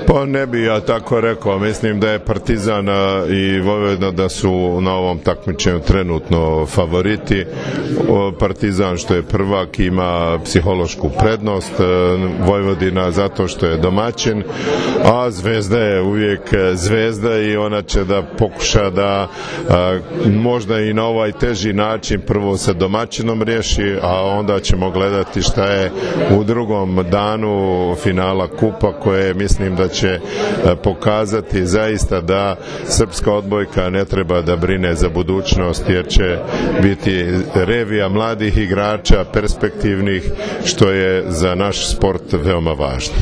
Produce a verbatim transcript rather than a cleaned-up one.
Pa ne bi ja tako rekao, mislim da je Partizan i Vojvodina da su na ovom takmičenju trenutno favoriti. Partizan što je prvak ima psihološku prednost, Vojvodina zato što je domaćin, a Zvezda je uvijek Zvezda i ona će da pokuša da možda i na ovaj teži način prvo sa domaćinom riješi, a onda ćemo gledati šta je u drugom danu finala kupa koje mislim da će pokazati zaista da srpska odbojka ne treba da brine za budućnost jer će biti revija mladih igrača, perspektivnih, što je za naš sport veoma važno.